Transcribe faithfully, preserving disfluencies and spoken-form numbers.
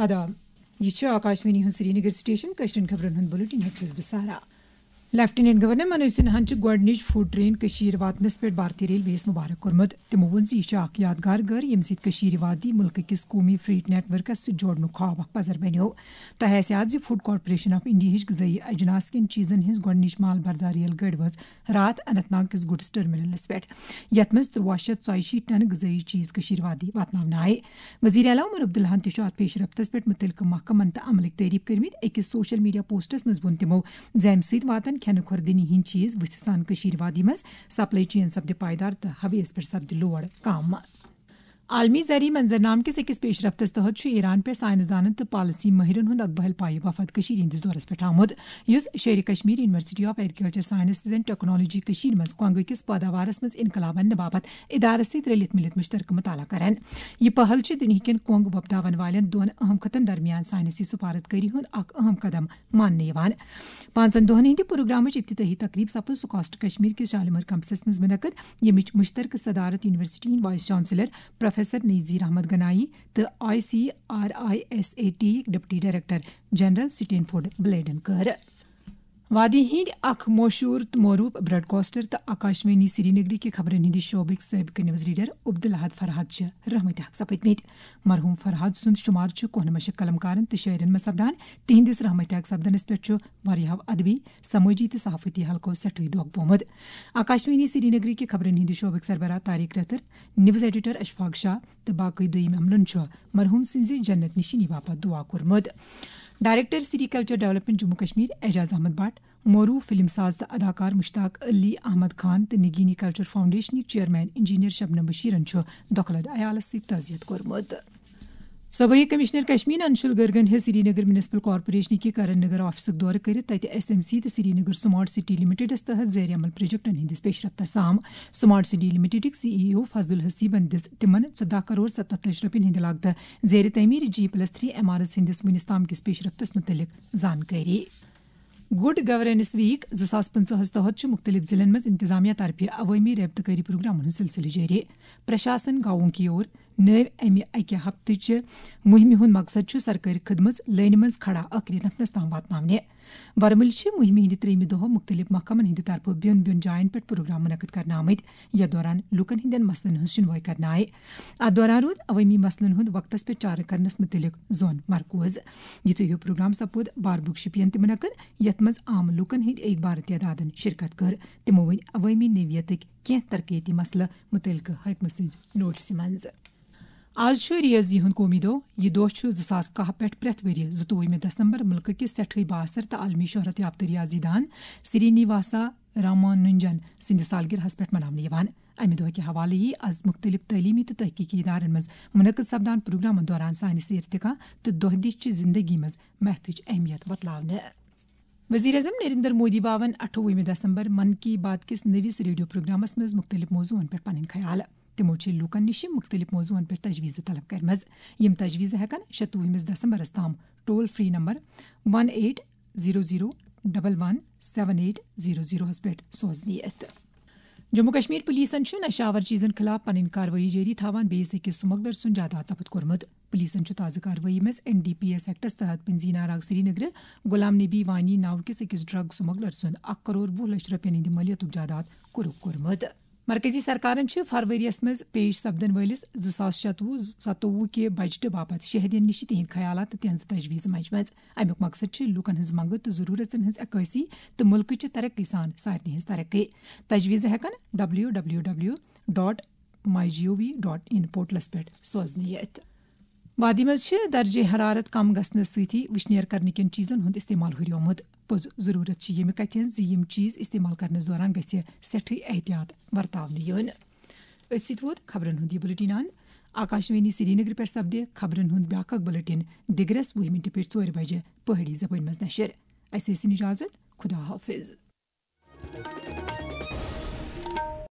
دا۔ یہِ چھُ آکاشوانی ہُنٛد سرینگر سٹیشن۔ کٲشرٮ۪ن خبرن ہُنٛد بُلٹن ہیٚتھ چھَس بہٕ سارا۔ لیفٹیننٹ گورنر منوج سنہاہن چھُ گۄڈٕنِچ فوڈ ٹرین کٔشیٖر واتنس پٮ۪ٹھ بھارتی ریلویس مبارک کوٚرمُت۔ تِمو ووٚن زِ یہِ چھُ اکھ یادگار گٔر، ییٚمہِ سۭتۍ کٔشیٖر وادی مُلکہٕ کِس قومی فریٹ نیٹ ورکس سۭتۍ جوڑنُک خواب اکھ پزر بنیو۔ تۄہہِ آسہِ یاد زِ فوڈ کارپوریشن آف انڈیاہٕچ غذٲیی اجناس کٮ۪ن چیٖزن ہٕنٛز گۄڈٕنِچ مال بردار ریل گٲڑۍ وٲژ راتھ اننت ناگ کِس گُڈس ٹرمینلس پٮ۪ٹھ، یتھ منٛز ترٛواہ شیٚتھ ژۄیہِ شیٖتھ ٹن غذٲیی چیٖز کٔشیٖر وادی واتناونہٕ آیہِ۔ وزیر اعلیٰ عمر عبداللہن تہِ چھُ اتھ پیش رفتس پٮ۪ٹھ مُتعلقہٕ محکمن تہٕ عملٕکۍ تعریف کٔرمٕتۍ۔ أکِس سوشل میڈیا پوسٹس منٛز ووٚن تِمو زِ امہِ سۭتۍ واتن کھٮ۪نہٕ خوردنی ہٕنٛدۍ چیٖز وُژھِ سان کٔشیٖر وادی منٛز، سپلائی چین سپدِ پائیدار تہٕ ہویس پٮ۪ٹھ سپدِ لوڈ کم۔ عالمی زرعی منظرنامہٕ کِس أکِس پیش رفتس تحت چھُ ایران پٮ۪ٹھ سائنسدانن تہٕ پالیسی مٲہرن ہُنٛد اکھ بحل پایہِ وفد کٔشیٖر ہٕنٛدِس دورس پٮ۪ٹھ آمُت، یُس Sher e Kashmir university of agriculture sciences and technology کٔشیٖر منٛز کۄنٛگہٕ کِس پٲداوارس منٛز انقلاب اننہٕ باپتھ ادارس سۭتۍ رلِتھ مِلِتھ مُشترکہٕ مُطالعہٕ کرن۔ یہِ پہل چھِ دُنیاہکٮ۪ن کۄنٛگ وۄپداون والٮ۪ن دۄن اہم خطن درمیان سائنسی سفارت کٲری ہُنٛد اکھ اہم قدم ماننہٕ یِوان۔ پانٛژن دۄہن ہٕنٛدِ پروگرامٕچ افتتاحی تقریب سپٕز سکاسٹ کشمیر کِس شالمور کمپسس منٛز منعقد، ییٚمِچ مُشترکہٕ صدارت یونیورسٹی ہٕنٛدۍ vice chancellor professor Nazir Ahmad Ganai تہٕ I C R I S A T deputy director general Stanford بلیڈن کٔر۔ وادی ہٕنٛدۍ اکھ مشہوٗر تہٕ معروٗف براڈکاسٹر تہٕ آکاشوانی سرینگرٕکہِ خبرن ہٕنٛدِ شعبٕکۍ سٲبقہٕ نیوز ریڈر عبدالحد فرحت چھِ رحمت حق سپٕدمٕتۍ۔ مرحوم فرحت سُنٛد شمار چھُ کونہٕ مشق قلمکارن تہٕ شٲعرن منٛز سپدان۔ تِہنٛدِس رحمت حق سپدنس پٮ۪ٹھ چھُ واریاہو ادبی، سمٲجی تہٕ صحافتی حلقو سٮ۪ٹھٕے دۄکھ بومُت۔ آکاشوانی سرینگرٕکہِ خبرن ہٕنٛدِ شعبٕکۍ سربراہ طارق رتر، نیوز ایڈیٹر اشفاق شاہ تہٕ باقٕے دوٚیِم عملن چھُ مرحوم سٕنٛزِ جنت نشینی باپتھ دعا کوٚرمُت۔ Director sericulture development Jammu Kashmir Ejaz Ahmad Bhat, مورو فلم ساز تہٕ اداکار مشتاق علی احمد خان تہٕ نگینی کلچر فاؤنڈیشنٕکۍ چیئرمین انجینئر شبنم بشیرن چھُ دۄکھلہٕ عیالس سۭتۍ تعزیت کوٚرمُت۔ صوبٲئی کمشنر کشمیر انشول گرگن ہیٚژ سرینگر میونسپل کارپوریشن کہِ کرن نگر آفسُک دورٕ کٔرِتھ تتہِ ایس ایم سی تہٕ سرینگر سمارٹ سٹی لمیٹڈس تحت زیر عمل پروجیکٹن ہٕنٛدِس پیش رفتس سام۔ سمارٹ سٹی لمیٹڈٕکۍ سی ای او فضل حسیبن دِژ تِمن ژۄدہ کرور ستتھ لچھ رۄپین ہٕنٛدِ لاگتہٕ زیر تعمیر جی پلس تھری عمارژ ہٕنٛدِس وُنِس تام کِس پیش رفتس مُتعلق زانکٲری۔ گڈ گورننس ویک زٕ ساس پٕنٛژٕہس تحت چھُ مُختٔلِف ضلعن منٛز انتظامیہ طرفہٕ عوٲمی رٲبطہٕ کٲری پروگرامن ہُنٛد سلسلہٕ جٲری۔ پرشاسن گاؤں کی اور نٲوۍ امہِ اکہِ ہفتہٕ چہِ مُہمہِ ہُنٛد مقصد چھُ سرکٲرۍ خدمژ لٲنہِ منٛز کھڑا ٲخری نفرس تام واتناونہِ۔ ورمُلہِ چھِ مُہمہِ ہٕنٛدِ ترٛیٚیمہِ دۄہ مُختٔلِف محکمن ہٕنٛدِ طرفہٕ بیوٚن بیوٚن جاین پٮ۪ٹھ پروگرام منعقد کرنہٕ آمٕتۍ، یتھ دوران لوٗکن ہٕنٛدٮ۪ن مسلن ہٕنٛز شُنوٲے کرنہٕ آیہِ۔ اتھ دوران روٗد عوٲمی مسلن ہُنٛد وقتس پٮ۪ٹھ چارٕ کرنس مُتعلق زون مرکوز۔ یِتھُے ہیوٗ پروگرام سپُد باربُک شُپین تہِ منعقد، یتھ منٛز عام لوٗکن ہٕنٛدۍ اکھ بار تعدادن شرکت کٔر۔ تِمو ؤنۍ عوٲمی نوعیتٕکۍ کینٛہہ ترقیتی مسلہٕ مُتعلقہٕ حٲکمہٕ سٕنٛزِ نوٹسہِ منٛز۔ آز چھُ ریاضی ہُنٛد قومی دۄہ۔ یہِ دۄہ چھُ زٕ ساس کاہ پٮ۪ٹھ پرٛٮ۪تھ ؤرۍ یہِ زٕتووُہمہِ دسمبر مُلکہٕ کِس سٮ۪ٹھٕے بااثر تہٕ عالمی شہرت یافتہٕ ریاضی دان سرینیواسا رامانُنجن سٕنٛدِ سالگرہس پٮ۪ٹھ مناونہٕ یِوان۔ امہِ دۄہ کہِ حوالہٕ یِیہِ از مُختٔلِف تعلیٖمی تہٕ تحقیٖقی ادارن منٛز منعقد سپدان پروگرامن دوران سانہِ سیر تہِ کانٛہہ تہٕ دۄہ دِش چہِ زندگی منٛز میتھٕچ اہمیت بتلاونہٕ۔ وزیر اعظم نریندر مودی باون اَٹھووُہمہِ دسمبر من کی بات کِس نٔوِس ریڈیو پروگرامس منٛز مُختٔلِف موضوعن پٮ۪ٹھ پنٕنۍ خیال۔ تِمو چھِ لوٗکن نِش مُختٔلِف موضوعن پٮ۪ٹھ تجویٖزٕ طلب کٔرمٕژ۔ یِم تجویٖزٕ ہٮ۪کن شَتوُہمِس دسمبرس تام toll free number one eight zero zero double one seven eight zero زیٖروہس پٮ۪ٹھ سوزنہٕ یِتھ۔ جموں کشمیر پولیسن چھُ نشہٕ آور چیزن خلاف پنٕنۍ کاروٲیی جٲری تھاوان بیٚیِس أکِس سمگلر سُنٛد جائیداد ضبط کوٚرمُت۔ پولیسن چھُ تازٕ کاروٲیی منٛز این ڈی پی ایس ایکٹس تحت پنزی ناراگ سرینگر غلام نبی وانی ناوٕ کِس أکِس ڈرگ سمگلر سُنٛد اکھ کرور وُہ لچھ رۄپین ہٕنٛدِ مٲلیتُک جائیداد قرب کوٚرمُت۔ مرکزی سرکارن چھِ فروریَس منٛز پیش سپدن وٲلِس زٕ ساس شَتوُہ ستووُہ کہِ بجٹہٕ باپتھ شہرین نِش تِہنٛدۍ خیالات تہٕ تِہنٛزٕ تجویٖزٕ منجمژٕ۔ اَمیُک مقصد چھُ لوٗکن ہٕنٛز منٛگہٕ تہٕ ضروٗرژن ہٕنٛز عکٲسی تہٕ مُلکٕچہِ ترقی سان سارنٕے ہٕنٛز ترقی۔ تجویٖزٕ ہٮ۪کن W W W dot my G O V dot in پورٹلس پٮ۪ٹھ سوزنہٕ یِتھ۔ وادی منٛز چھِ درجہ حرارت کم گژھنہٕ سۭتی وٕشنیر کرنہٕ کٮ۪ن چیٖزن ہُنٛد استعمال ہُریومُت۔ پوٚز ضروٗرت چھِ ییٚمہِ کتھِ ہٕنٛز زِ یِم چیٖز استعمال کرنس دوران گژھِ سٮ۪ٹھٕے احتیاط ورتاونہٕ یُن۔ أتھۍ سۭتۍ ووت خبرن ہُنٛد یہِ بُلٹن اند۔ آکاشوانی سرینگر پٮ۪ٹھ سپدِ خبرن ہُنٛد بیٛاکھ اکھ بُلٹن دِگرس وُہہِ مِنٹہِ پٮ۪ٹھ ژورِ بجہِ پہٲڑی زبٲنۍ منٛز نشر۔ اسہِ ٲسِن اجازت۔ خدا حافظ۔